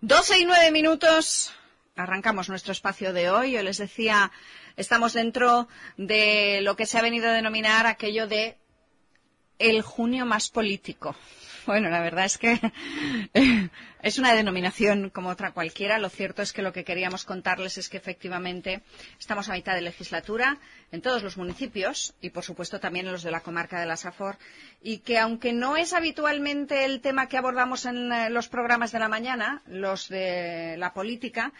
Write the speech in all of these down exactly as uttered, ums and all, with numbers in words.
doce y nueve minutos, arrancamos nuestro espacio de hoy. Yo les decía, estamos dentro de lo que se ha venido a denominar aquello de el junio más político. Bueno, la verdad es que es una denominación como otra cualquiera. Lo cierto es que lo que queríamos contarles es que efectivamente estamos a mitad de legislatura en todos los municipios y, por supuesto, también en los de la comarca de la Safor, y que aunque no es habitualmente el tema que abordamos en los programas de la mañana, los de la política,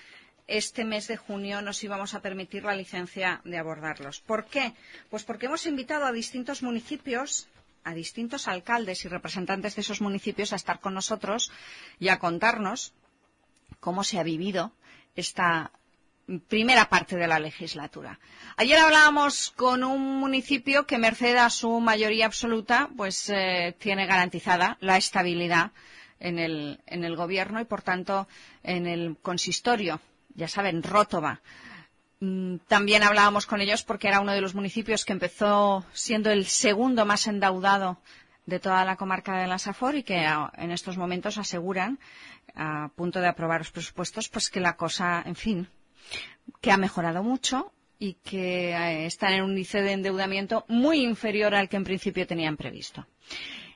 este mes de junio nos íbamos a permitir la licencia de abordarlos. ¿Por qué? Pues porque hemos invitado a distintos municipios, a distintos alcaldes y representantes de esos municipios a estar con nosotros y a contarnos cómo se ha vivido esta primera parte de la legislatura. Ayer hablábamos con un municipio que, merced a su mayoría absoluta, pues eh, tiene garantizada la estabilidad en el, en el gobierno y, por tanto, en el consistorio, ya saben, Rótova. También hablábamos con ellos porque era uno de los municipios que empezó siendo el segundo más endeudado de toda la comarca de la Safor y que en estos momentos aseguran, a punto de aprobar los presupuestos, pues que la cosa, en fin, que ha mejorado mucho y que están en un índice de endeudamiento muy inferior al que en principio tenían previsto.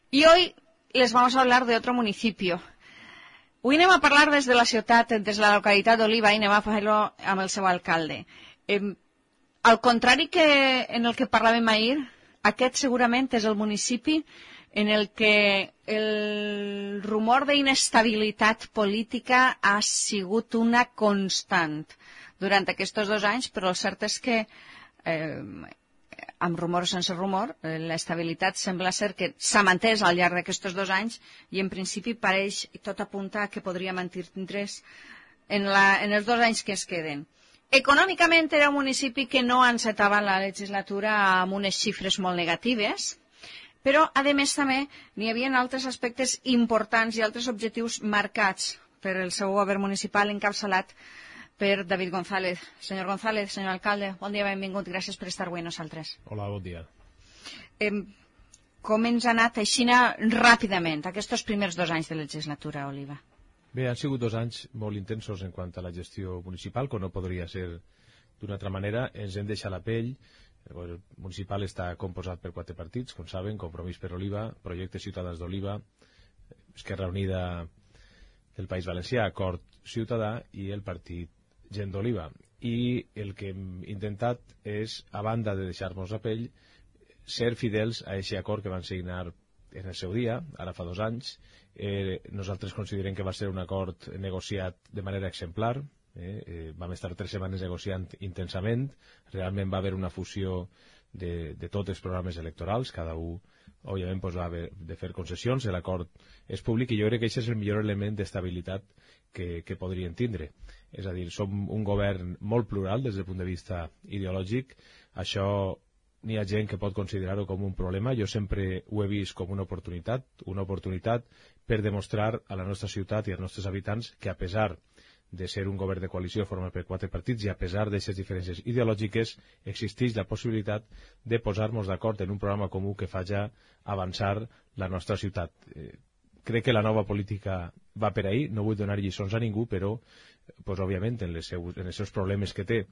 Y hoy les vamos a hablar de otro municipio. Avui anem a parlar des de la ciutat, des de la localitat d'Oliva, i anem a fer-ho amb el seu alcalde. Eh, al contrari que en el que parlàvem ahir, aquest segurament és el municipi en el que el rumor d'inestabilitat política ha sigut una constant durant aquests dos anys, però el cert és que eh, amb rumor o sense rumor, l'estabilitat sembla ser que s'ha mantès al llarg d'aquests dos anys i en principi pareix i tot apunta a que podria mantindre's en, la, en els dos anys que es queden. Econòmicament era un municipi que no encetava la legislatura amb unes xifres molt negatives, però a més també n'hi havia altres aspectes importants i altres objectius marcats per el seu govern municipal encapçalat per David González. Senyor González, senyor alcalde, bon dia, benvingut. Gràcies per estar avui amb nosaltres. Hola, bon dia. Eh, com ens ha anat així ràpidament aquests primers dos anys de legislatura, Oliva? Bé, han sigut dos anys molt intensos en quant a la gestió municipal, com no podria ser d'una altra manera. Ens hem deixat la pell. El municipal està composat per quatre partits, com saben, Compromís per Oliva, Projecte Ciutadans d'Oliva, Esquerra Unida del País Valencià, Acord Ciutadà i el Partit Gent d'Oliva. I el que hem intentat és, a banda de deixar-nos la pell, ser fidels a aquest acord que van signar en el seu dia, ara fa dos anys. Eh, nosaltres considerem que va ser un acord negociat de manera exemplar. Eh, eh, vam estar tres setmanes negociant intensament. Realment va haver una fusió de, de tots els programes electorals. Cada un, òbviament, pues, va haver de fer concessions. L'acord és públic i jo crec que aquest és el millor element d'estabilitat que, que podrien tindre. És a dir, som un govern molt plural des del punt de vista ideològic. Això n'hi ha gent que pot considerar-ho com un problema. Jo sempre ho he vist com una oportunitat, una oportunitat per demostrar a la nostra ciutat i als nostres habitants que, a pesar de ser un govern de coalició format per quatre partits i a pesar d'aquestes diferències ideològiques, existeix la possibilitat de posar-nos d'acord en un programa comú que faci avançar la nostra ciutat. Eh, crec que la nova política va per ahí. No vull donar lliçons a ningú, però pues, òbviament, en, les seus, en els seus problemes que té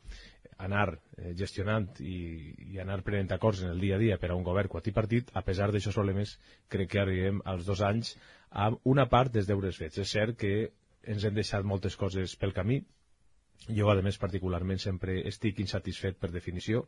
anar eh, gestionant i, i anar prenent acords en el dia a dia per a un govern quadripartit, a pesar d'aquests problemes, crec que arribem als dos anys amb una part dels deures fets. És cert que ens hem deixat moltes coses pel camí. Jo, a més, particularment, sempre estic insatisfet per definició,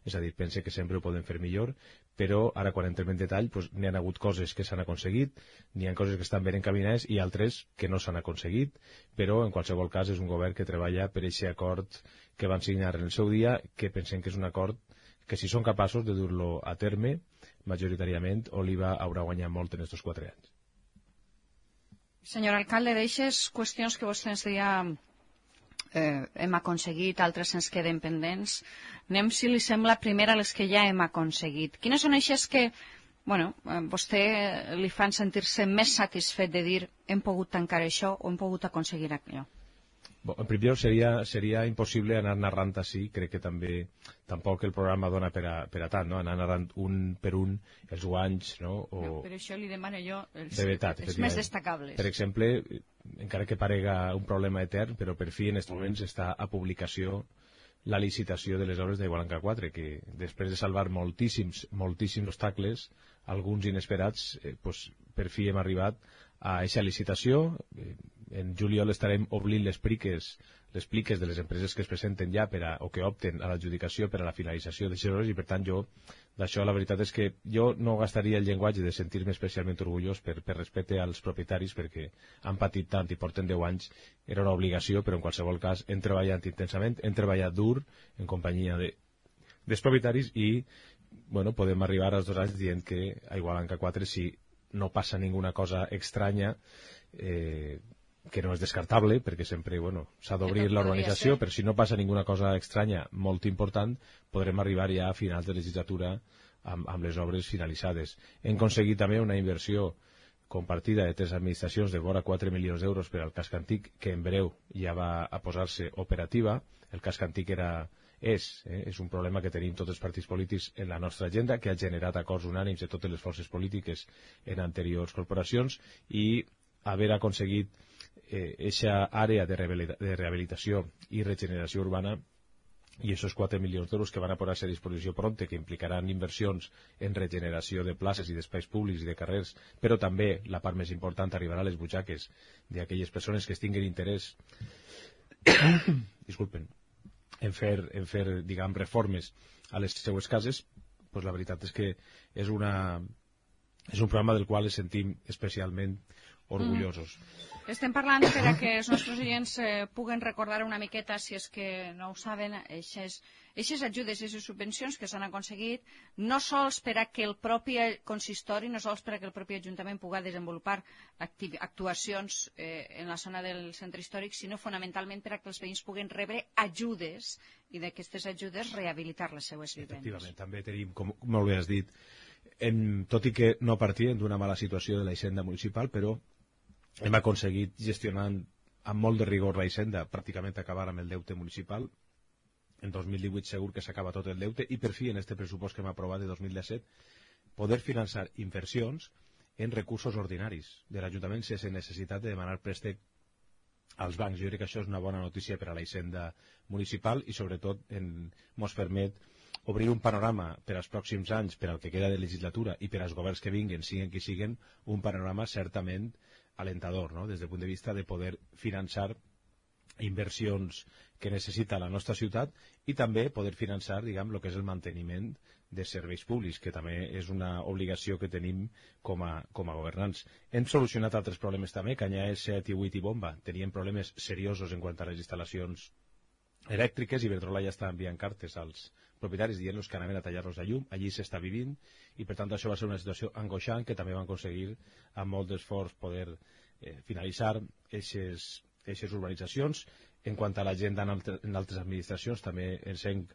és a dir, pense que sempre ho podem fer millor, però ara, quan entrem en detall, pues, n'hi ha hagut coses que s'han aconseguit, n'hi ha coses que estan ben encaminades i altres que no s'han aconseguit, però, en qualsevol cas, és un govern que treballa per aquest acord que van signar en el seu dia, que pensem que és un acord que, si són capaços de dur-lo a terme, majoritàriament, Oliva haurà guanyat molt en aquests quatre anys. Senyor alcalde, d'aixes qüestions que vostè ens deia eh, hem aconseguit, altres ens queden pendents. Anem, si li sembla, primer a les que ja hem aconseguit. Quines són eixes que, bueno, a vostè li fan sentir-se més satisfet de dir hem pogut tancar això o hem pogut aconseguir allò? Bon, en primer seria, seria impossible anar narrant així, crec que també tampoc el programa dona per a, per a tant, no? Anar narrant un per un els guanys, no? O... No, per això li demano jo els, de veritat, els més destacables. Per exemple, encara que parega un problema etern, però per fi en aquests moments està a publicació la licitació de les obres d'Igualanca quatre, que després de salvar moltíssims, moltíssims obstacles, alguns inesperats, eh, pues, per fi hem arribat a aquesta licitació. Eh, en juliol estarem obrint les pliques, les pliques de les empreses que es presenten ja per a, o que opten a l'adjudicació per a la finalització de les obres, i per tant jo, d'això la veritat és que jo no gastaria el llenguatge de sentir-me especialment orgullós per, per respecte als propietaris, perquè han patit tant i porten deu anys, era una obligació, però en qualsevol cas hem treballat intensament, hem treballat dur en companyia de, dels propietaris i bueno, podem arribar als dos anys dient que a Igualanca quatre, si no passa ninguna cosa estranya, eh, que no és descartable, perquè sempre bueno, s'ha d'obrir l'organització, però si no passa ninguna cosa estranya molt important, podrem arribar ja a finals de legislatura amb, amb les obres finalitzades. Hem aconseguit també una inversió compartida de tres administracions de vora quatre milions d'euros per al casc antic, que en breu ja va a posar-se operativa. El casc antic era, és, eh, és un problema que tenim tots els partits polítics en la nostra agenda, que ha generat acords unànims de totes les forces polítiques en anteriors corporacions, i haver aconseguit aquesta eh, àrea de, de rehabilitació i regeneració urbana i aquests quatre milions d'euros que van a posar-se a disposició pronte, que implicaran inversions en regeneració de places i d'espais públics i de carrers, però també la part més important arribarà a les butxaques d'aquelles persones que es tinguin interès disculpen, en fer, en fer diguem, reformes a les seues cases. Pues la veritat és que és, una, és un programa del qual ens sentim especialment orgullosos. Mm. Estem parlant per a que els nostres oients eh, puguen recordar una miqueta, si és que no ho saben, eixes, eixes ajudes, aquestes subvencions que s'han aconseguit, no sols per a que el propi consistori, no sols per a que el propi Ajuntament pugui desenvolupar actuacions eh, en la zona del centre històric, sinó fonamentalment per a que els veïns puguen rebre ajudes i d'aquestes ajudes rehabilitar les seues vivendes. Efectivament, també tenim, com molt bé has dit, en, tot i que no partíem d'una mala situació de la hisenda municipal, però hem aconseguit, gestionant amb molt de rigor la hisenda, pràcticament acabar amb el deute municipal. En dos mil divuit segur que s'acaba tot el deute, i per fi en este pressupost que hem aprovat de dos mil disset poder finançar inversions en recursos ordinaris de l'Ajuntament sense necessitat de demanar préstec als bancs. Jo crec que això és una bona notícia per a la hisenda municipal i sobretot ens permet obrir un panorama per als pròxims anys, per al que queda de legislatura i per als governs que vinguin, siguin qui siguin, un panorama certament alentador, no? Des del punt de vista de poder finançar inversions que necessita la nostra ciutat i també poder finançar, diguem, el que és el manteniment de serveis públics, que també és una obligació que tenim com a, com a governants. Hem solucionat altres problemes també, Canyelles, set i vuit i Bomba. Teníem problemes seriosos en quant a les instal·lacions elèctriques, i Iberdrola ja està enviant cartes als propietaris dient-los que anaven a tallar-los la llum. Allí s'està vivint i per tant això va ser una situació angoixant que també van aconseguir amb molt d'esforç poder eh, finalitzar aquestes urbanitzacions. En quant a l'agenda en, altre, en altres administracions també ens hem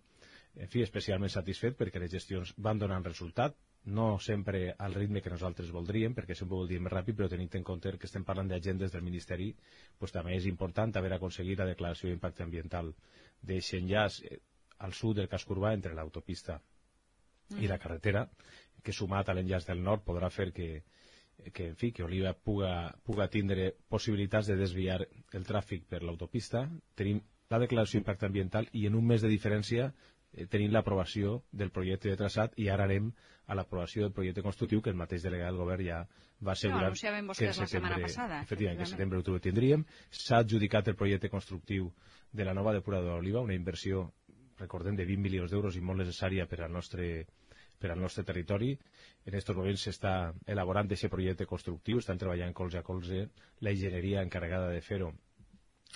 en fi, especialment satisfet perquè les gestions van donant resultat, no sempre al ritme que nosaltres voldríem, perquè sempre ho voldríem més ràpid, però tenint en compte que estem parlant d'agendes del Ministeri, pues, també és important haver aconseguit la declaració d'impacte ambiental d'aquest enllaç al sud del casc urbà entre l'autopista mm. i la carretera, que sumat a l'enllaç del nord podrà fer que, que, en fi, que Oliva puga, puga tindre possibilitats de desviar el tràfic per l'autopista. Tenim la declaració d'impacte ambiental i en un mes de diferència eh, tenim l'aprovació del projecte de traçat, i ara anem a l'aprovació del projecte constructiu que el mateix delegat del govern ja va assegurar no, que en setembre, la passada, efectivament, que en setembre ho tindríem. S'ha adjudicat el projecte constructiu de la nova depuradora d'Oliva, una inversió, recordem, de vint milions d'euros i molt necessària per al nostre, per al nostre territori. En aquests moments s'està elaborant aquest projecte constructiu, estan treballant colze a colze la enginyeria encarregada de fer-ho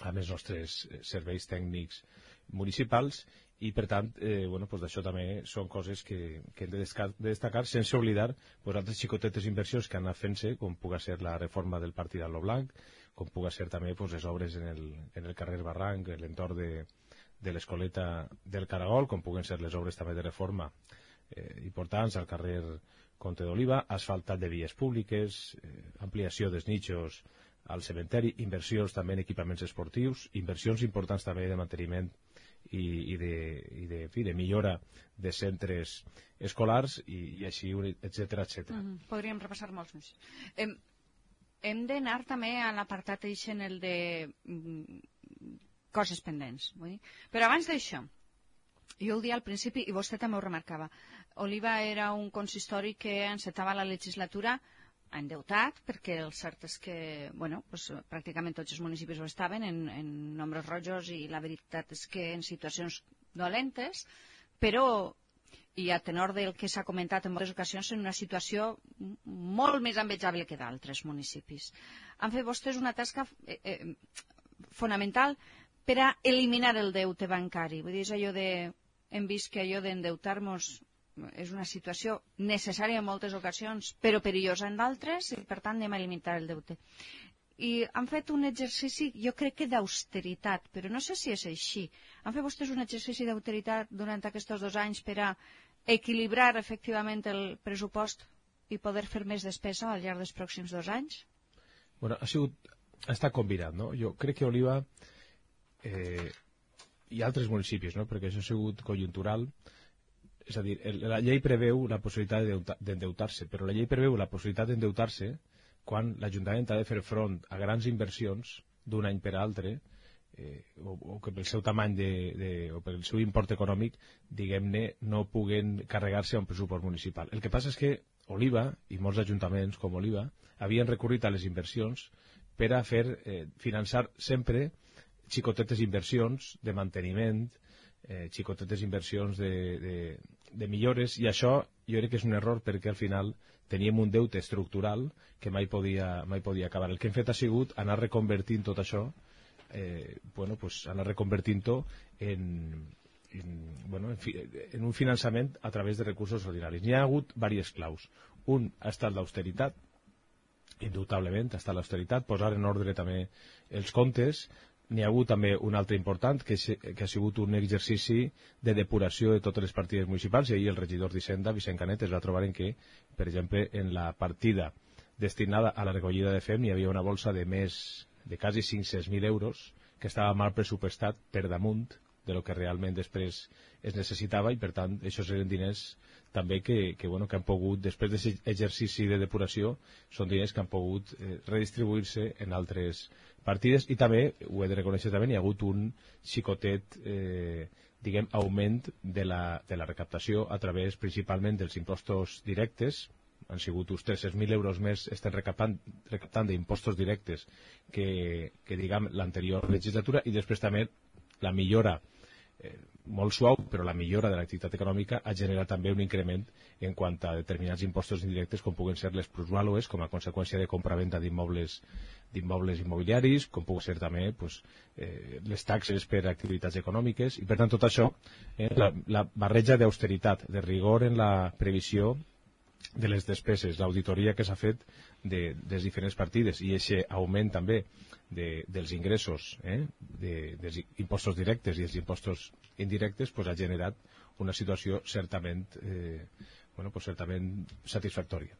amb els nostres serveis tècnics municipals, i per tant, eh, bueno, pues d'això també són coses que, que hem de, de destacar, sense oblidar pues, altres xicotetes inversions que han anat fent-se, com puga ser la reforma del partit d'Allo Blanc, com puga ser també pues, les obres en el, en el carrer Barranc, en l'entorn de, de l'escoleta del Caragol, com puguen ser les obres també de reforma eh, importants al carrer Comte d'Oliva, asfaltat de vies públiques, eh, ampliació dels nichos al cementeri, inversions també en equipaments esportius, inversions importants també de manteniment i, i, de, i de, fi, de millora de centres escolars i, i així, etcètera, etcètera. Mm -hmm. Podríem repassar molts més. Hem, hem d'anar també a l'apartat en el de mm, coses pendents. Vull dir. Però abans d'això, jo ho dia al principi, i vostè també ho remarcava, Oliva era un consistori que encetava la legislatura endeutat, perquè el cert és que bueno, pues, pràcticament tots els municipis ho estaven en, en nombres rojos i la veritat és que en situacions dolentes, però i a tenor del que s'ha comentat en moltes ocasions en una situació molt més envejable que d'altres municipis. Han fet vostès una tasca eh, eh, fonamental per a eliminar el deute bancari. Vull dir, és allò de... Hem vist que allò d'endeutar-nos és una situació necessària en moltes ocasions, però perillosa en d'altres, i per tant anem a eliminar el deute. I han fet un exercici, jo crec que d'austeritat, però no sé si és així. Han fet vostès un exercici d'austeritat durant aquests dos anys per a equilibrar efectivament el pressupost i poder fer més despesa al llarg dels pròxims dos anys? Bueno, ha sigut, ha estat combinat, no? Jo crec que Oliva eh, i altres municipis, no? Perquè això ha sigut conjuntural. És a dir, la llei preveu la possibilitat d'endeutar-se, però la llei preveu la possibilitat d'endeutar-se quan l'Ajuntament ha de fer front a grans inversions d'un any per altre, eh, o, o que pel seu tamany de, de, o pel seu import econòmic, diguem-ne, no puguen carregar-se a un pressupost municipal. El que passa és que Oliva, i molts ajuntaments com Oliva, havien recorrit a les inversions per a fer eh, finançar sempre xicotetes inversions de manteniment, eh, xicotetes inversions de, de, de millores, i això jo crec que és un error perquè al final teníem un deute estructural que mai podia, mai podia acabar. El que hem fet ha sigut anar reconvertint tot això, eh, bueno, pues anar reconvertint-ho en, en, bueno, en, fi, en un finançament a través de recursos ordinaris. N'hi ha hagut diverses claus. Un ha estat l'austeritat, indubtablement ha estat l'austeritat, posar en ordre també els comptes. N'hi ha hagut també un altre important, que, que ha sigut un exercici de depuració de totes les partides municipals, i ahir el regidor d'Hisenda, Vicent Canet, es va trobar en que, per exemple, en la partida destinada a la recollida de fem hi havia una bolsa de més de quasi cinc-cents mil euros que estava mal pressupostat per damunt de lo que realment després es necessitava, i per tant, això eren diners també que, que, bueno, que han pogut, després d'aquest exercici de depuració, són diners que han pogut eh, redistribuir-se en altres partides, i també, ho he de reconèixer també, hi ha hagut un xicotet, eh, diguem, augment de la, de la recaptació a través principalment dels impostos directes. Han sigut uns tres-cents mil euros més estem recaptant, recaptant d'impostos directes que, que diguem, l'anterior legislatura, i després també la millora, eh, molt suau, però la millora de l'activitat econòmica ha generat també un increment en quant a determinats impostos indirectes, com puguen ser les plusvàlues, com a conseqüència de compra-venda d'immobles d'immobles immobiliaris, com puguen ser també pues, eh, les taxes per activitats econòmiques, i per tant tot això, eh, la, la barreja d'austeritat, de rigor en la previsió de les despeses, l'auditoria que s'ha fet de, de les diferents partides, i aquest augment també de, dels ingressos, eh, de, dels impostos directes i els impostos indirectes, pues, ha generat una situació certament, eh, bueno, pues, certament satisfactòria.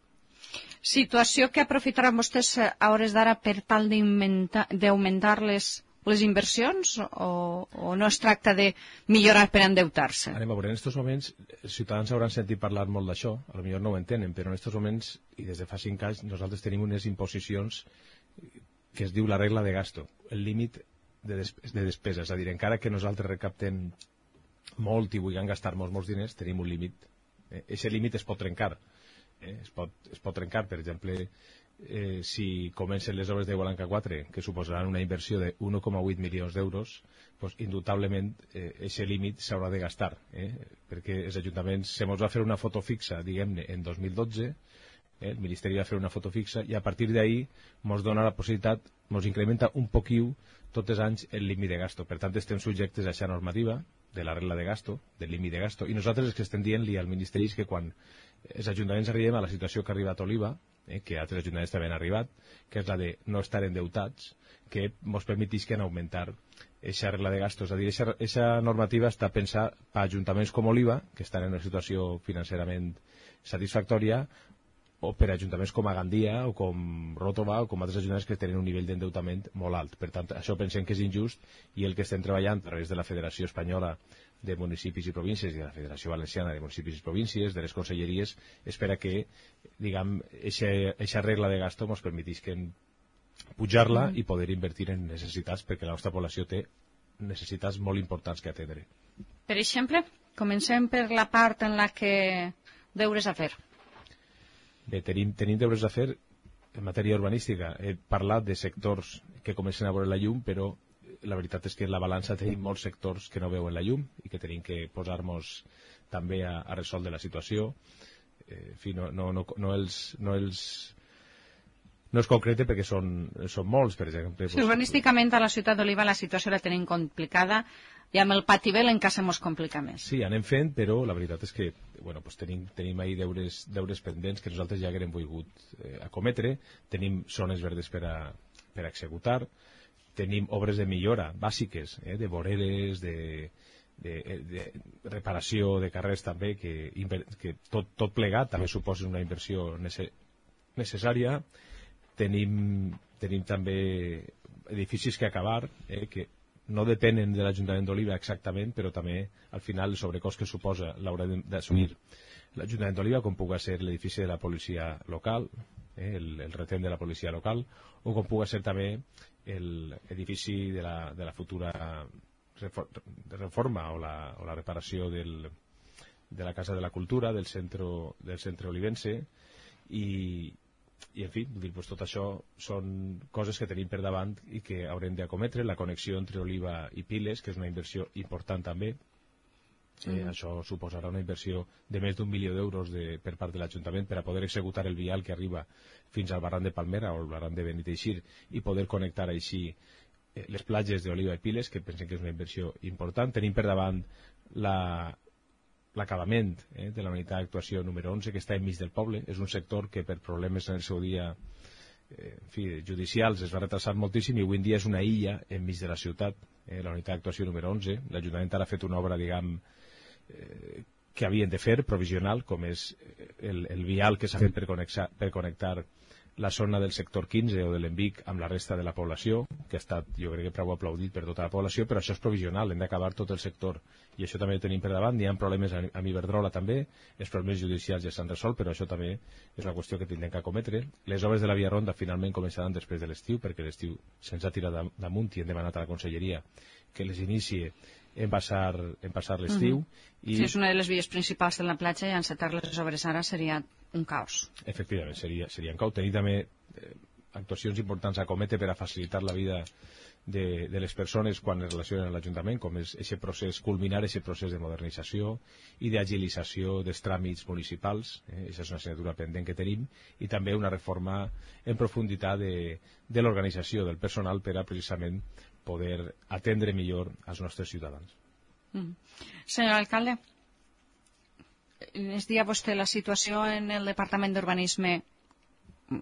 Situació que aprofitaran vostès a hores d'ara per tal d'augmentar les, les inversions, o, o no es tracta de millorar per endeutar-se? Anem a veure, en aquests moments els ciutadans hauran sentit parlar molt d'això, potser no ho entenen, però en aquests moments, i des de fa cinc anys, nosaltres tenim unes imposicions que es diu la regla de gasto, el límit de, des de despesa. És a dir, encara que nosaltres recaptem molt i vulguem gastar molts, molts diners, tenim un límit. Aquest eh, límit es pot trencar. Eh? Es, pot, es pot trencar, per exemple, eh, si comencen les obres de Gualanca quatre, que suposaran una inversió de un coma vuit milions d'euros, pues, indubtablement aquest eh, límit s'haurà de gastar, eh? perquè els ajuntaments se mos va fer una foto fixa, diguem-ne, en dos mil dotze, eh? el Ministeri va fer una foto fixa, i a partir d'ahir ens dona la possibilitat, ens incrementa un poquiu tots els anys el límit de gasto. Per tant, estem subjectes a aquesta normativa de la regla de gasto, del límit de gasto, i nosaltres el que estem dient-li al Ministeri és que quan els ajuntaments arribem a la situació que ha arribat Oliva, eh, que altres ajuntaments també han arribat, que és la de no estar endeutats, que ens permetisquen augmentar aquesta regla de gasto. És a dir, aquesta normativa està pensada per ajuntaments com Oliva, que estan en una situació financerament satisfactòria, o per ajuntaments com a Gandia o com Ròtova o com altres ajuntaments que tenen un nivell d'endeutament molt alt. Per tant, això pensem que és injust i el que estem treballant a través de la Federació Espanyola de Municipis i Províncies i de la Federació Valenciana de Municipis i Províncies, de les conselleries, espera que, diguem, aquesta regla de gasto ens permetís que pujar-la i poder invertir en necessitats, perquè la nostra població té necessitats molt importants que atendre. Per exemple, comencem per la part en la que deures a fer. Bé, tenim, tenim deures a fer en matèria urbanística. He parlat de sectors que comencen a veure la llum, però la veritat és que en la balança tenim molts sectors que no veuen la llum i que tenim que posar-nos també a, a resoldre la situació. Eh, en fi, no, no, no, no els... No els No es concrete perquè són, són molts, per exemple. Sí, urbanísticament a la ciutat d'Oliva la situació la tenim complicada i amb el pativel encara se mos complica més. Sí, anem fent, però la veritat és que bueno, pues tenim, tenim ahí deures, deures pendents que nosaltres ja haguem volgut eh, acometre. Tenim zones verdes per a, per a executar. Tenim obres de millora bàsiques, eh, de voreres, de, de, de reparació de carrers també, que, que tot, tot plegat també suposa una inversió nece, necessària. Tenim, tenim també edificis que acabar, eh, que no depenen de l'Ajuntament d'Oliva exactament, però també al final el sobrecost que suposa l'haurà d'assumir l'Ajuntament d'Oliva, com pugui ser l'edifici de la policia local, eh, el, el retén de la policia local, o com pugui ser també l'edifici de, la, de la futura reforma o la, o la reparació del, de la Casa de la Cultura, del centre, del centre olivense, i I, en fi, pues, tot això són coses que tenim per davant i que haurem d'acometre. La connexió entre Oliva i Piles, que és una inversió important també. Eh, mm. Això suposarà una inversió de més d'un milió d'euros de, per part de l'Ajuntament per a poder executar el vial que arriba fins al barranc de Palmera o el barranc de Beniteixir i poder connectar així eh, les platges d'Oliva i Piles, que pensem que és una inversió important. Tenim per davant la... l'acabament eh, de la unitat d'actuació número onze, que està enmig del poble. És un sector que per problemes en el seu dia eh, en fi, judicials es va retrasar moltíssim i avui en dia és una illa enmig de la ciutat, eh, la unitat d'actuació número onze. L'Ajuntament ara ha fet una obra, diguem, eh, que havien de fer, provisional, com és el, el vial que s'ha fet per connectar, per connectar la zona del sector quinze o de l'Envic amb la resta de la població, que ha estat, jo crec que prou aplaudit per tota la població, però això és provisional, hem d'acabar tot el sector. I això també ho tenim per davant. Hi ha problemes amb Iberdrola també, els problemes judicials ja s'han resolt, però això també és la qüestió que tindrem que acometre. Les obres de la Via Ronda finalment començaran després de l'estiu, perquè l'estiu se'ns ha tirat damunt i hem demanat a la conselleria que les inicie en passar, en passar l'estiu. Uh-huh. I... Si és una de les vies principals de la platja i encetar les obres ara seria un caos. Efectivament, seria, seria un caos. Tenir també eh, actuacions importants a cometre per a facilitar la vida de, de les persones quan es relacionen amb l'Ajuntament, com és aquest procés, culminar aquest procés de modernització i d'agilització dels tràmits municipals. Eh, això és una assignatura pendent que tenim, i també una reforma en profunditat de, de l'organització del personal per a precisament poder atendre millor als nostres ciutadans. Mm. Senyor alcalde, ens dia vostè la situació en el Departament d'Urbanisme,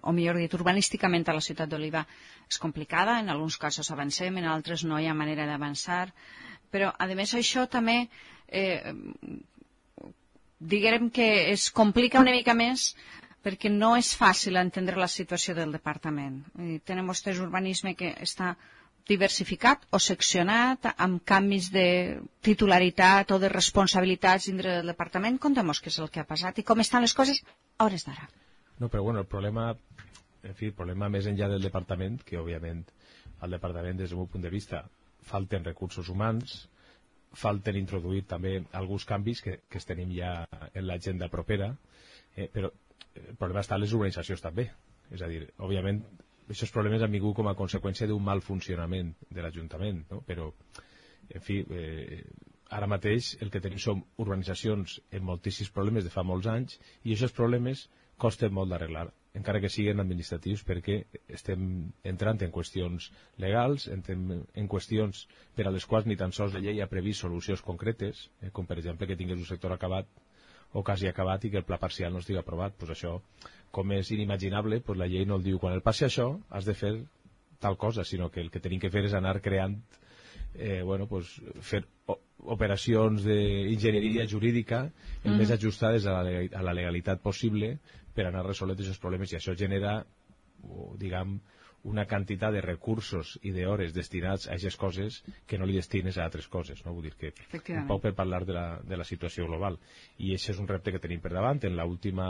o millor dit, urbanísticament a la ciutat d'Oliva és complicada, en alguns casos avancem, en altres no hi ha manera d'avançar, però a més això també eh, diguem que es complica una mica més perquè no és fàcil entendre la situació del departament. Eh, tenim vostès urbanisme que està diversificat o seccionat amb canvis de titularitat o de responsabilitats dintre del departament. Contem-nos què és el que ha passat i com estan les coses a hores d'ara. No, però bueno, el problema, en fi, el problema més enllà del departament, que òbviament al departament des del meu punt de vista falten recursos humans, falten introduir també alguns canvis que, que es tenim ja en l'agenda propera, eh, però el problema està en les urbanitzacions també. És a dir, òbviament, aquests problemes han vingut com a conseqüència d'un mal funcionament de l'Ajuntament, no? Però, en fi, eh, ara mateix el que tenim són urbanitzacions amb moltíssims problemes de fa molts anys i aquests problemes costen molt d'arreglar, encara que siguin administratius, perquè estem entrant en qüestions legals, entrem en qüestions per a les quals ni tan sols la llei ha previst solucions concretes, eh, com per exemple que tingués un sector acabat o quasi acabat i que el pla parcial no estigui aprovat. Pues això, com és inimaginable, pues la llei no el diu. Quan el passi això, has de fer tal cosa, sinó que el que tenim que fer és anar creant, eh, bueno, pues, fer operacions d'enginyeria jurídica el mm. més ajustades a la, a la legalitat possible per anar resolent aquests problemes, i això genera, diguem, una quantitat de recursos i d'hores destinats a aquestes coses que no li destines a altres coses, no? Vull dir que un poc per parlar de la, de la situació global, i això és un repte que tenim per davant. En l'última,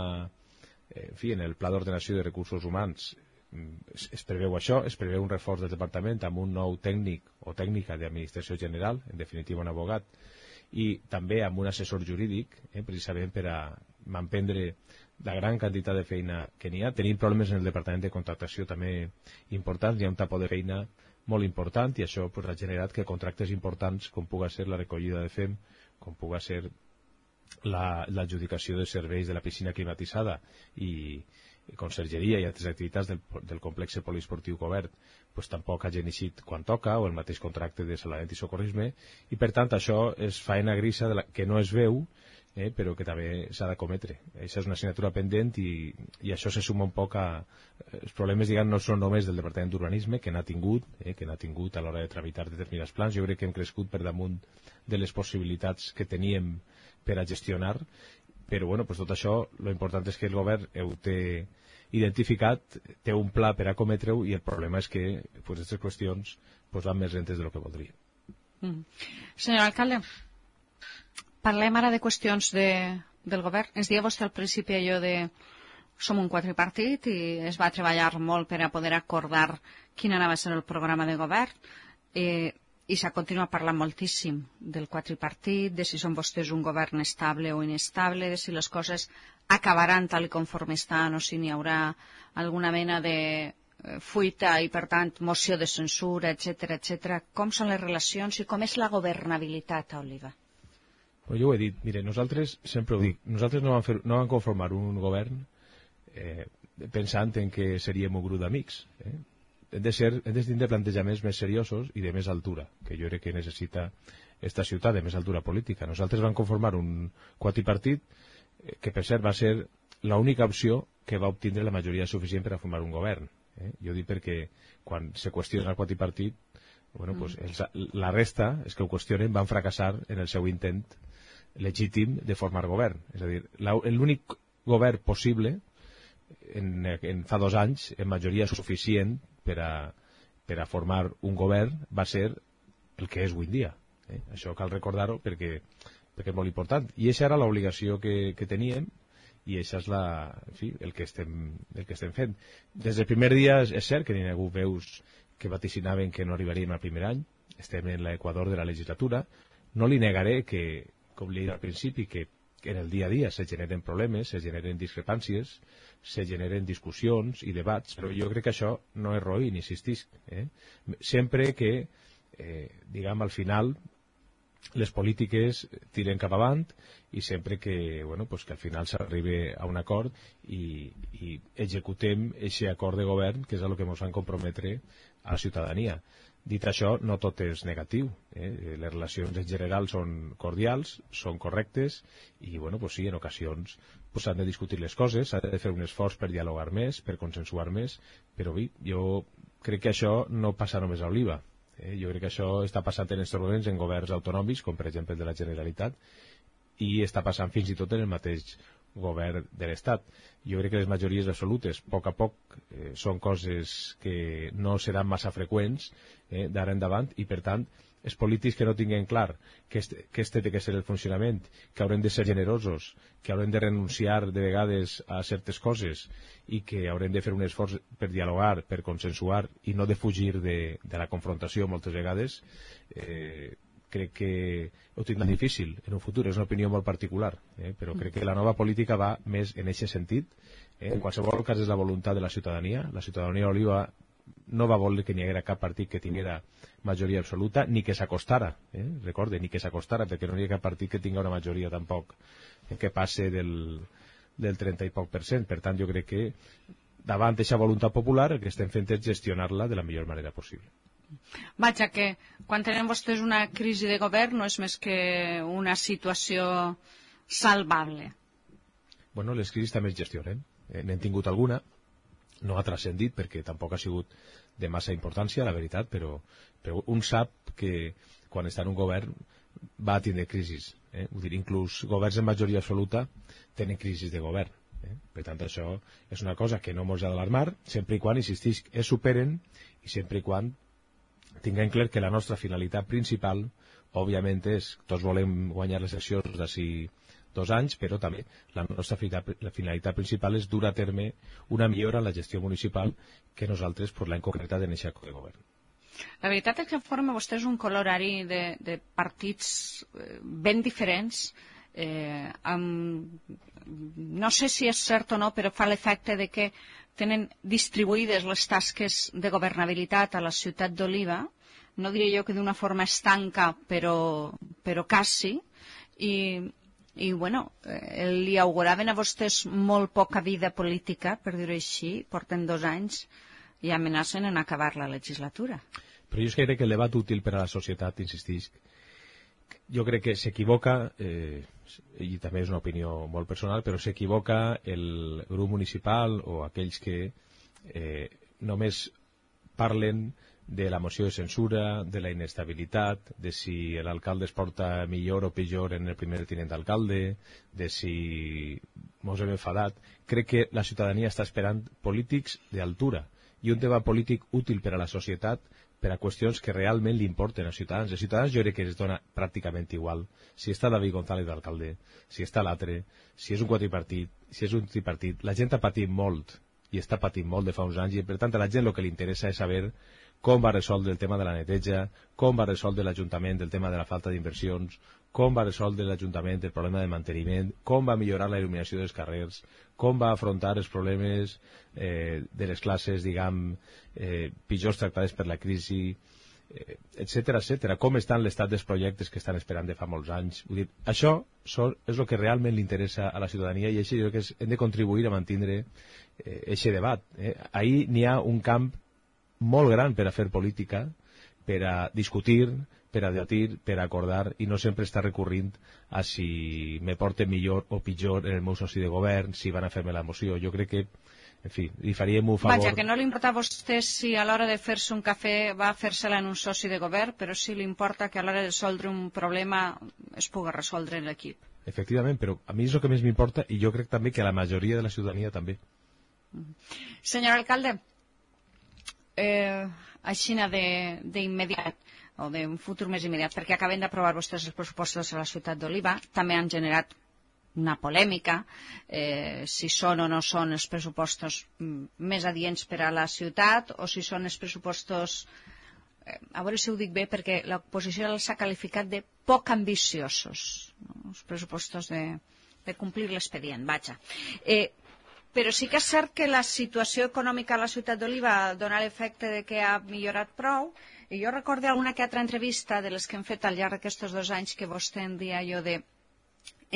en fi, en el Pla d'Ordenació de Recursos Humans es, es preveu això, es preveu un reforç del departament amb un nou tècnic o tècnica d'administració general, en definitiva un abogat, i també amb un assessor jurídic, eh, precisament per a manprendre la gran quantitat de feina que n'hi ha. Tenim problemes en el departament de contractació també importants, hi ha un tapó de feina molt important, i això pues, ha generat que contractes importants, com puga ser la recollida de F E M, com puga ser l'adjudicació la, de serveis de la piscina climatitzada i, i consergeria i altres activitats del, del complex poliesportiu cobert, pues, tampoc hagin eixit quan toca, o el mateix contracte de salvament i socorrisme, i per tant això és faena grisa de la, que no es veu, Eh, però que també s'ha de cometre. Això és una assignatura pendent, i, i això se suma un poc a... Els problemes, diguem, no són només del Departament d'Urbanisme, que n'ha tingut, eh, que n'ha tingut a l'hora de tramitar determinats plans. Jo crec que hem crescut per damunt de les possibilitats que teníem per a gestionar, però bueno, pues tot això, lo important és que el govern ho té identificat, té un pla per a cometre-ho, i el problema és que pues, aquestes qüestions pues, van més lentes de lo que voldria. Mm. Senyor alcalde, parlem ara de qüestions de, del govern. Ens deia vostè al principi allò de som un quadripartit i es va treballar molt per a poder acordar quin anava a ser el programa de govern, eh, i s'ha continuat parlant moltíssim del quadripartit, de si són vostès un govern estable o inestable, de si les coses acabaran tal com conforme estan o si n'hi haurà alguna mena de fuita i, per tant, moció de censura, etcètera, etcètera. Com són les relacions i com és la governabilitat a Oliva? Pues jo ho he dit, mire, nosaltres, sempre ho dic, nosaltres no vam, fer, no vam conformar un govern eh, pensant en que seríem un grup d'amics. Eh? Hem de ser, hem de tindre plantejaments més seriosos i de més altura, que jo crec que necessita esta ciutat, de més altura política. Nosaltres vam conformar un quadripartit eh, que, per cert, va ser l'única opció que va obtindre la majoria suficient per a formar un govern. Eh? Jo dic perquè quan se qüestiona el quadripartit, bueno, pues, els, la resta, és que ho qüestionen, van fracassar en el seu intent legítim de formar govern. És a dir, l'únic govern possible en, en fa dos anys, en majoria suficient per a, per a formar un govern, va ser el que és avui en dia. Eh? Això cal recordar-ho perquè, perquè és molt important. I aquesta era l'obligació que, que teníem, i això és la, en fi, el, que estem, el que estem fent. Des del primer dia és, és cert que n'hi ha hagut veus que vaticinaven que no arribaríem al primer any. Estem en l'equador de la legislatura. No li negaré que, com li he dit al principi, que en el dia a dia se generen problemes, se generen discrepàncies, se generen discussions i debats, però jo crec que això no és roïn, insistisc. Eh? Sempre que, eh, diguem, al final les polítiques tiren cap avant, i sempre que, bueno, pues que al final s'arribi a un acord i, i executem aquest acord de govern, que és el que ens van comprometre a la ciutadania. Dit això, no tot és negatiu. Eh? Les relacions en general són cordials, són correctes, i bueno, pues sí, en ocasions pues, s'han de discutir les coses, s'ha de fer un esforç per dialogar més, per consensuar més, però bé, jo crec que això no passa només a Oliva. Eh? Jo crec que això està passant en aquests moments en governs autonòmics, com per exemple el de la Generalitat, i està passant fins i tot en el mateix govern de l'Estat. Jo crec que les majories absolutes, a poc a poc, eh, són coses que no seran massa freqüents eh, d'ara endavant, i per tant els polítics que no tinguin clar que este, que este té que ser el funcionament, que haurem de ser generosos, que haurem de renunciar de vegades a certes coses i que haurem de fer un esforç per dialogar, per consensuar i no de fugir de, de la confrontació moltes vegades, eh, crec que ho tindran difícil en un futur. És una opinió molt particular, eh? Però crec que la nova política va més en aquest sentit. Eh? En qualsevol cas és la voluntat de la ciutadania. La ciutadania d'Oliva no va voler que n'hi haguera cap partit que tinguera majoria absoluta, ni que s'acostara, eh? Recorde, ni que s'acostara, perquè no hi ha cap partit que tingui una majoria tampoc eh, que passe del, del trenta i poc per cent. Per tant, jo crec que davant d'aquesta voluntat popular el que estem fent és gestionar-la de la millor manera possible. Vaja, que quan tenen vostès una crisi de govern no és més que una situació salvable. Bueno, les crisis també es gestionen. Eh, N'hem tingut alguna, no ha transcendit perquè tampoc ha sigut de massa importància, la veritat, però, però un sap que quan està en un govern va tindre crisis. Eh? Vull dir, inclús governs en majoria absoluta tenen crisis de govern. Eh? Per tant, això és una cosa que no ens ha d'alarmar, sempre i quan, insistís, es superen i sempre i quan tinguem clar que la nostra finalitat principal, òbviament, és tots volem guanyar les eleccions d'ací dos anys, però també la nostra finalitat principal és dur a terme una millora en la gestió municipal que nosaltres pues, l'hem concretat en aquest de govern. La veritat és que forma vostès un colorari de, de partits ben diferents. Eh, amb, no sé si és cert o no, però fa l'efecte de que tenen distribuïdes les tasques de governabilitat a la ciutat d'Oliva, no diré jo que d'una forma estanca, però, però quasi, i, i bueno, eh, li auguraven a vostès molt poca vida política, per dir-ho així, porten dos anys i amenacen en acabar la legislatura. Però jo crec que el debat útil per a la societat, insistisc, jo crec que s'equivoca, eh, i també és una opinió molt personal, però s'equivoca el grup municipal o aquells que eh, només parlen de la moció de censura, de la inestabilitat, de si l'alcalde es porta millor o pitjor en el primer tinent d'alcalde, de si mos hem enfadat. Crec que la ciutadania està esperant polítics d'altura i un debat polític útil per a la societat per a qüestions que realment li importen als ciutadans. Els ciutadans jo crec que es dona pràcticament igual si està David González d'alcalde, si està l'altre, si és un quadripartit, si és un tripartit. La gent ha patit molt i està patint molt de fa uns anys i per tant a la gent el que li interessa és saber com va resoldre el tema de la neteja, com va resoldre l'Ajuntament el tema de la falta d'inversions, com va resoldre l'Ajuntament el problema de manteniment, com va millorar la il·luminació dels carrers, com va afrontar els problemes eh, de les classes, diguem, eh, pitjors tractades per la crisi, eh, etcètera, etcètera. Com estan l'estat dels projectes que estan esperant de fa molts anys. Vull dir, això són, és el que realment li interessa a la ciutadania i això jo crec que és, hem de contribuir a mantenir aquest eh, debat. Eh. Ahir n'hi ha un camp molt gran per a fer política, per a discutir, per a debatir, per a acordar i no sempre està recorrint a si me porten millor o pitjor en el meu soci de govern, si van a fer-me la moció. Jo crec que, en fi, li faríem un favor... Vaja, que no li importa a vostè si a l'hora de fer-se un cafè va a fer-se-la en un soci de govern, però sí li importa que a l'hora de resoldre un problema es pugui resoldre en l'equip. Efectivament, però a mi és el que més m'importa i jo crec també que a la majoria de la ciutadania també. Senyor alcalde, Eh, aixina d'immediat o d'un futur més immediat, perquè acaben d'aprovar vostès els pressupostos a la ciutat d'Oliva, també han generat una polèmica, eh, si són o no són els pressupostos més adients per a la ciutat o si són els pressupostos, eh, a veure si ho dic bé, perquè l'oposició els ha qualificat de poc ambiciosos, no? Els pressupostos de, de complir l'expedient, vaja. Eh, Però sí que és cert que la situació econòmica a la ciutat d'Oliva dona l'efecte de que ha millorat prou. I jo recordo alguna que altra entrevista de les que hem fet al llarg d'aquests dos anys que vostè en dia jo de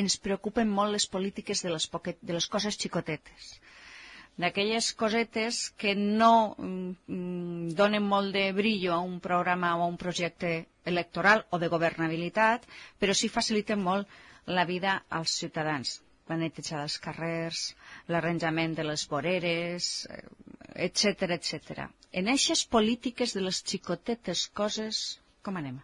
ens preocupen molt les polítiques de les, poquet, de les coses xicotetes. D'aquelles cosetes que no mm, donen molt de brillo a un programa o a un projecte electoral o de governabilitat, però sí faciliten molt la vida als ciutadans. La neteja dels carrers, l'arranjament de les voreres, etcètera, etcètera. En aquestes polítiques de les xicotetes coses, com anem?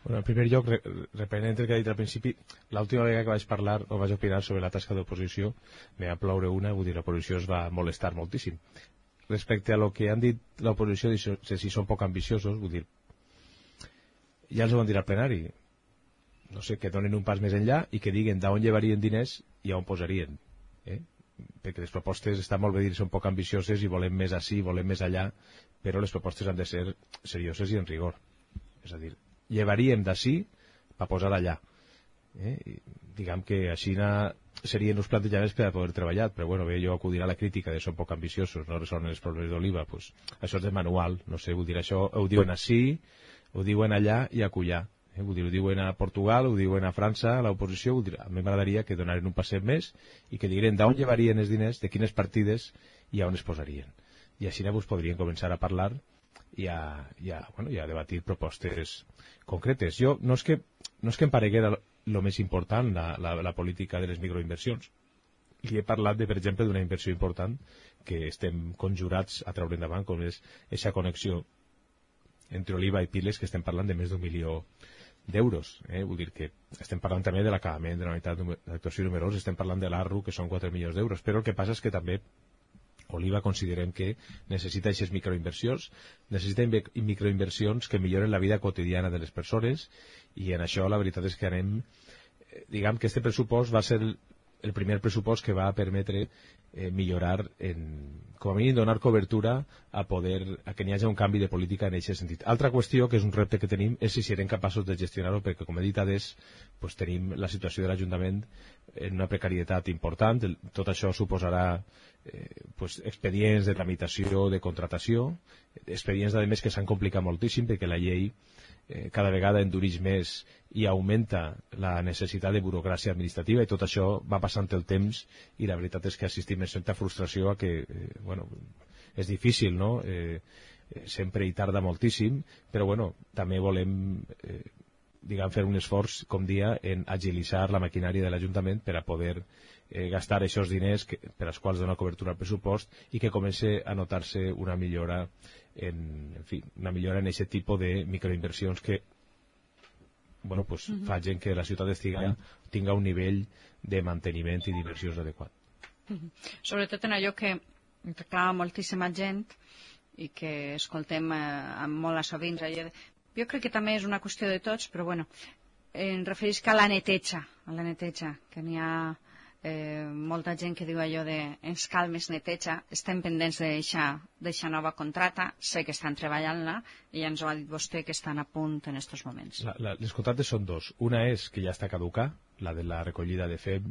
Bueno, en primer lloc, reprenent el que ha dit al principi, l'última vegada que vaig parlar o vaig opinar sobre la tasca d'oposició, me va ploure una, vull dir, l'oposició es va molestar moltíssim. Respecte a lo que han dit l'oposició, si són poc ambiciosos, vull dir, ja els ho van dir al plenari, no sé, que donen un pas més enllà i que diguen d'on llevarien diners i on posarien. Eh? Perquè les propostes estan molt bé dir són poc ambicioses i volem més així, volem més allà, però les propostes han de ser serioses i en rigor. És a dir, llevaríem d'ací per posar allà. Eh? I, diguem que així serien els plantejaments per a poder treballar, però bueno, bé, jo acudirà a la crítica de són poc ambiciosos, no resolen els problemes d'Oliva, pues, això és de manual, no sé, vull dir, això ho diuen així, ho diuen allà i acollar. Eh, vull dir, ho diuen a Portugal, ho diuen a França, a l'oposició, vull dir, a mi m'agradaria que donaren un passet més i que digueren d'on llevarien els diners, de quines partides i on es posarien. I així vos podrien començar a parlar i a, i a, bueno, i a debatir propostes concretes. Jo, no és que, no és que em pareguera el més important, la, la, la política de les microinversions. Li he parlat, de, per exemple, d'una inversió important que estem conjurats a treure endavant, com és aquesta connexió entre Oliva i Piles, que estem parlant de més d'un milió d'euros. Eh? Vull dir que estem parlant també de l'acabament de la unitat d'actuació numerosa, estem parlant de l'A R U, que són quatre milions d'euros, però el que passa és que també Oliva considerem que necessita aquestes microinversions, necessita microinversions que milloren la vida quotidiana de les persones, i en això la veritat és que anem, diguem que este pressupost va ser el, el primer pressupost que va permetre eh, millorar, en, com a mínim donar cobertura a poder a que n'hi hagi un canvi de política en aquest sentit. Altra qüestió, que és un repte que tenim, és si serem capaços de gestionar-ho, perquè com he dit adés, pues, tenim la situació de l'Ajuntament en una precarietat important. Tot això suposarà eh, pues, expedients de tramitació, de contratació, expedients a més que s'han complicat moltíssim perquè la llei eh, cada vegada endureix més i augmenta la necessitat de burocràcia administrativa, i tot això va passant el temps, i la veritat és que assistim amb certa frustració a que, eh, bueno, és difícil, no? Eh, sempre hi tarda moltíssim, però bueno, també volem eh, diguem, fer un esforç, com dia, en agilitzar la maquinària de l'Ajuntament per a poder eh, gastar aquests diners que, per als quals dona cobertura al pressupost, i que comenci a notar-se una millora en, en fi, una millora en aquest tipus de microinversions que bueno, pues, uh-huh. facin que la ciutat estiga, tinga un nivell de manteniment i d'inversions adequat. Uh-huh. Sobretot en allò que reclama moltíssima gent i que escoltem eh, amb molt a sovint. Jo crec que també és una qüestió de tots, però bueno, em referisc a la neteja, a la neteja, que n'hi ha eh, molta gent que diu allò de ens cal més neteja, estem pendents d'eixa nova contrata, sé que estan treballant-la, i ja ens ho ha dit vostè que estan a punt en aquests moments. La, la, les contractes són dos. Una és que ja està caducar, la de la recollida de F E M,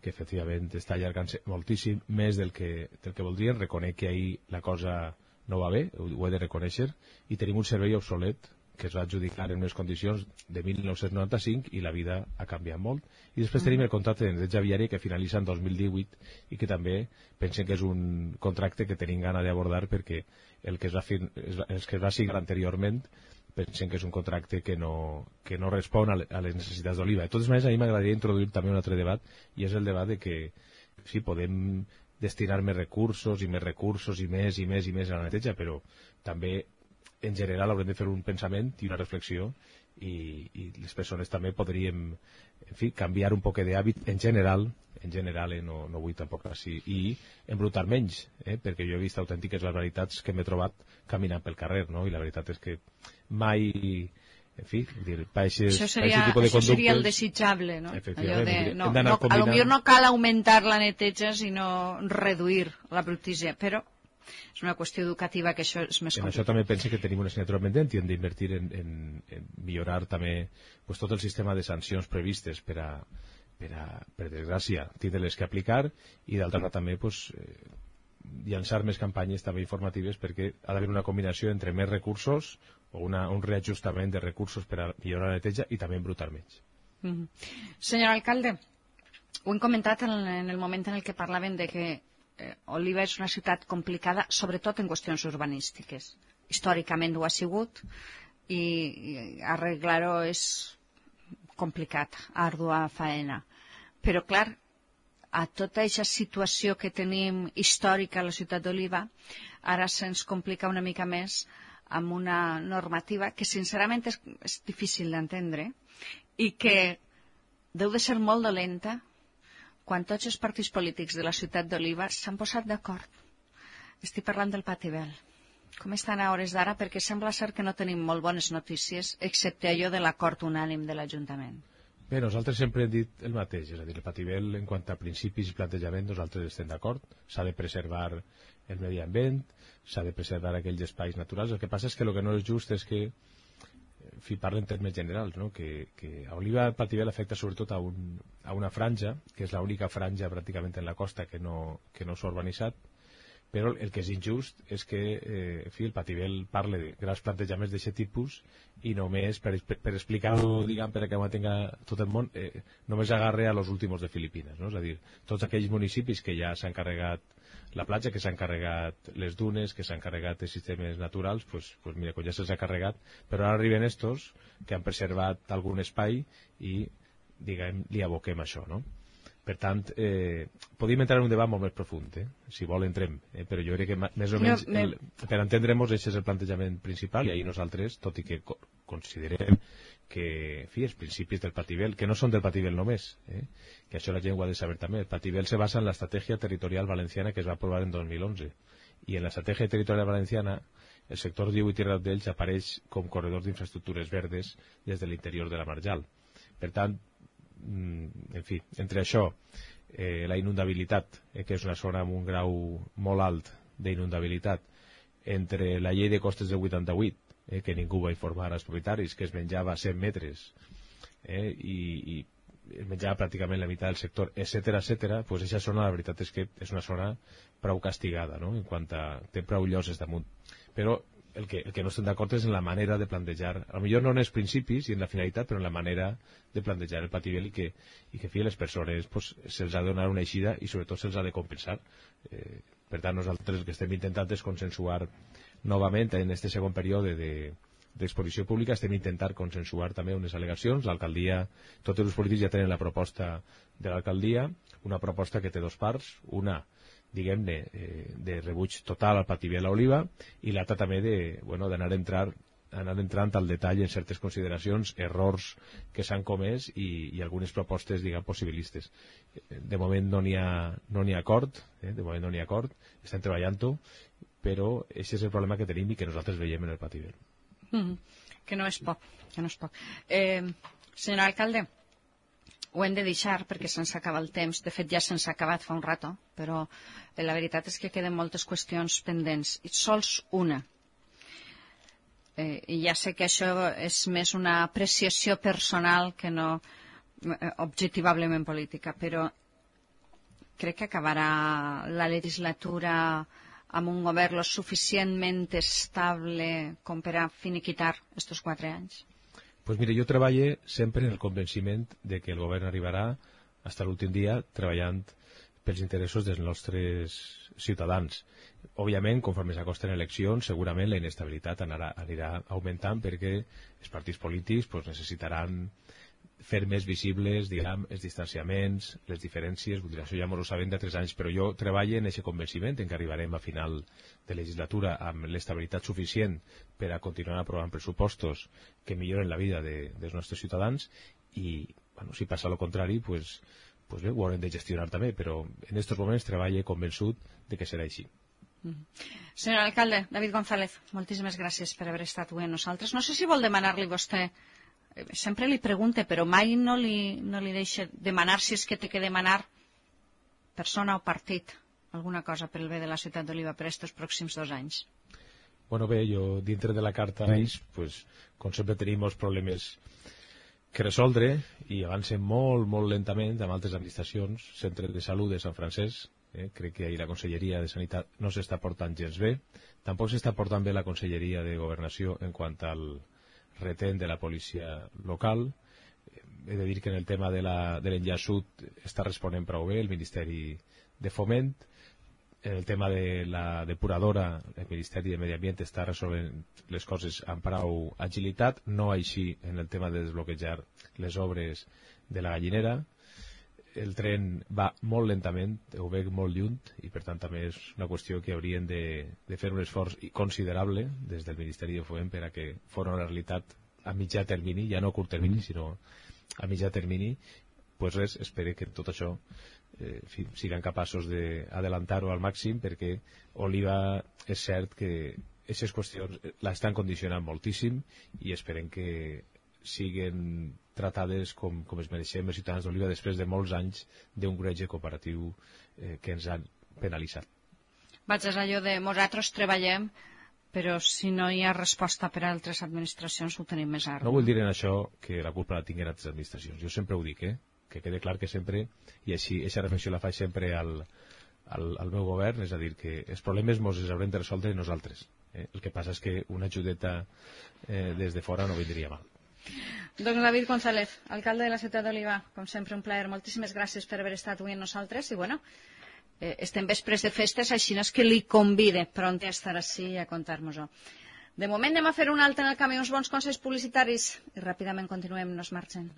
que efectivament està allargant-se moltíssim, més del que, del que voldrien. Reconec que ahir la cosa no va bé, ho, ho he de reconèixer, i tenim un servei obsolet que es va adjudicar en unes condicions de mil nou-cents noranta-cinc, i la vida ha canviat molt. I després mm. tenim el contracte de neteja viària que finalitza en dos mil divuit, i que també pensem que és un contracte que tenim gana d'abordar, perquè el que es va, fin, el que es va signar anteriorment pensem que és un contracte que no, que no respon a les necessitats d'Oliva. De totes maneres, a mi m'agradaria introduir també un altre debat, i és el debat de que sí, podem destinar més recursos i més recursos i més i més i més a la neteja, però també en general haurem de fer un pensament i una reflexió, i, i les persones també podríem, en fi, canviar un poc d'hàbit en general, en general, eh, no, no vull tampoc així, i embrutar menys, eh, perquè jo he vist autèntiques barbaritats que m'he trobat caminant pel carrer, no? I la veritat és que mai, en fi, dir, pa eixes, això seria, tipus de això conductes, seria el desitjable, no? Allò de, no, no, no combinant... potser no cal augmentar la neteja, sinó reduir la brutícia, però és una qüestió educativa que això és més complicat. En això també penso que tenim una assignatura pendent i hem d'invertir en, en, en millorar també pues, tot el sistema de sancions previstes per a, per, a, per desgràcia, tindre-les que aplicar, i d'altra banda també pues, eh, llançar més campanyes també informatives, perquè ha d'haver una combinació entre més recursos o una, un reajustament de recursos per a millorar la neteja i també embrutar menys. Mm-hmm. Senyor alcalde, ho hem comentat en, en el moment en el que parlaven de que Oliva és una ciutat complicada, sobretot en qüestions urbanístiques. Històricament ho ha sigut, i, i arreglar-ho és complicat, ardua faena. Però, clar, a tota aquesta situació que tenim històrica a la ciutat d'Oliva, ara se'ns complica una mica més amb una normativa que, sincerament, és, és difícil d'entendre, i que deu de ser molt dolenta quan tots els partits polítics de la ciutat d'Oliva s'han posat d'acord. Estic parlant del Patibel. Com estan a hores d'ara? Perquè sembla ser que no tenim molt bones notícies, excepte allò de l'acord unànim de l'Ajuntament. Bé, nosaltres sempre hem dit el mateix, és a dir, el Patibel, en quant a principis i plantejament, nosaltres estem d'acord. S'ha de preservar el medi ambient, s'ha de preservar aquells espais naturals. El que passa és que el que no és just és que, en fi, parla en termes generals, no? que, que a Oliva el Patibel afecta sobretot a, un, a una franja, que és l'única franja pràcticament en la costa que no, que no s'ha urbanitzat, però el que és injust és que eh, en fi, el Patibel parla de grans plantejaments d'aquest tipus i només, per, per, per explicar-ho, diguem, per que ho tenga tot el món, eh, només agarre a los últimos de Filipines, no? És a dir, tots aquells municipis que ja s'han carregat la platja, que s'han carregat les dunes, que s'han carregat els sistemes naturals, pues, pues mira, quan ja se'ls ha carregat, però ara arriben estos que han preservat algun espai i, diguem, li aboquem això, no? Per tant, eh, podríem entrar en un debat molt més profund, eh? Si vol entrem, eh? Però jo crec que més o menys, el, per entendre-nos, aquest és el plantejament principal, i ahir nosaltres, tot i que considerem que, en fi, els principis del Pativel, que no són del Pativel només, eh? que això la gent ho ha de saber també. El Pativel se basa en la Estratègia Territorial Valenciana que es va aprovar en dos mil onze. I en la Estratègia Territorial Valenciana el sector diu i Tierra d'Ells apareix com corredor d'infraestructures verdes des de l'interior de la Marjal. Per tant, en fi, entre això, eh, la inundabilitat, eh, que és una zona amb un grau molt alt d'inundabilitat, entre la llei de costes del vuitanta-vuit, eh, que ningú va informar als propietaris, que es menjava cent metres eh, i, i es menjava pràcticament la meitat del sector, etcètera, etcètera, pues aquesta zona la veritat és que és una zona prou castigada, no?, en quant a té prou lloses damunt. Però el que, el que no estem d'acord és en la manera de plantejar, a lo millor no en els principis i en la finalitat, però en la manera de plantejar el Pativel i que, i que fi, les persones pues, se'ls ha de donar una eixida i sobretot se'ls ha de compensar. Eh, per tant, nosaltres el que estem intentant és consensuar novament en aquest segon període de d'exposició pública, estem intentant consensuar també unes al·legacions. L'alcaldia, tots els polítics ja tenen la proposta de l'alcaldia, una proposta que té dos parts, una diguem-ne, eh, de rebuig total al Pativel a Oliva i l'altra també de, bueno, d'anar a entrar anar entrant al detall en certes consideracions, errors que s'han comès i, i algunes propostes, diguem, possibilistes. De moment no n'hi ha, no n'hi ha acord, eh? de moment no n'hi ha acord, estem treballant-ho, però aquest és el problema que tenim i que nosaltres veiem en el Pativel. Mm, que no és poc, que no és poc. Eh, senyor alcalde, ho hem de deixar perquè se'ns acaba el temps. De fet, ja se'ns ha acabat fa un rato, però eh, la veritat és que queden moltes qüestions pendents. I sols una. Eh, I ja sé que això és més una apreciació personal que no eh, objectivablement política, però crec que acabarà la legislatura amb un govern lo suficientment estable com per a finiquitar estos quatre anys? Pues mire, jo treballo sempre en el convenciment de que el govern arribarà fins a l'últim dia treballant pels interessos dels nostres ciutadans. Òbviament, conforme s'acosten eleccions, segurament la inestabilitat anarà, anirà augmentant perquè els partits polítics pues, necessitaran fer més visibles, diguem, els distanciaments, les diferències, vull dir, això ja m'ho sabem de tres anys, però jo treballo en aquest convenciment en què arribarem a final de legislatura amb l'estabilitat suficient per a continuar aprovant pressupostos que milloren la vida de, dels nostres ciutadans i, bueno, si passa el contrari, pues, pues bé, ho haurem de gestionar també, però en aquests moments treballo convençut de que serà així. Mm. Senyor alcalde, David González, moltíssimes gràcies per haver estat avui amb nosaltres. No sé si vol demanar-li vostè, sempre li pregunte, però mai no li, no li deixa demanar si és que té que demanar persona o partit alguna cosa per el bé de la ciutat d'Oliva per aquests pròxims dos anys. Bueno, bé, jo dintre de la carta pues, com sempre tenim molts problemes que resoldre i avancen molt, molt lentament amb altres administracions, centre de salut de Sant Francesc, eh? crec que ahir la Conselleria de Sanitat no s'està portant gens bé, tampoc s'està portant bé la Conselleria de Governació en quant al retén de la policia local. He de dir que en el tema de l'enllaç sud està responent prou bé el Ministeri de Foment. En el tema de la depuradora, el Ministeri de Medi Ambient està resolent les coses amb prou agilitat, no així en el tema de desbloquejar les obres de la gallinera. El tren va molt lentament, ho veig molt lluny, i per tant també és una qüestió que haurien de, de fer un esforç considerable des del Ministeri de Foment per a que fos una realitat a mitjà termini, ja no a curt termini, sinó a mitjà termini. Pues res, espero que tot això eh, fi, siguem capaços d'adelantar-ho al màxim, perquè Oliva és cert que aquestes qüestions l'estan condicionant moltíssim i esperem que siguen tratades com, com es mereixem els ciutadans d'Oliva després de molts anys d'un greuge comparatiu eh, que ens han penalitzat. Vaig a allò de nosaltres treballem, però si no hi ha resposta per a altres administracions ho tenim més ara. No vull dir en això que la culpa la tinguin altres administracions. Jo sempre ho dic, eh? que quede clar que sempre, i així, aquesta reflexió la faig sempre al, al, al meu govern, és a dir, que els problemes ens els haurem de resoldre nosaltres. Eh? El que passa és que una ajudeta eh, des de fora no vindria mal. Doncs David González, alcalde de la ciutat d'Oliva, com sempre un plaer. Moltíssimes gràcies per haver estat avui amb nosaltres i bueno, eh, estem vespres de festes, així no és que li convide pront a estar així i a contar-nos-ho. De moment anem a fer un altre en el camí, uns bons consells publicitaris i ràpidament continuem, no es marxen.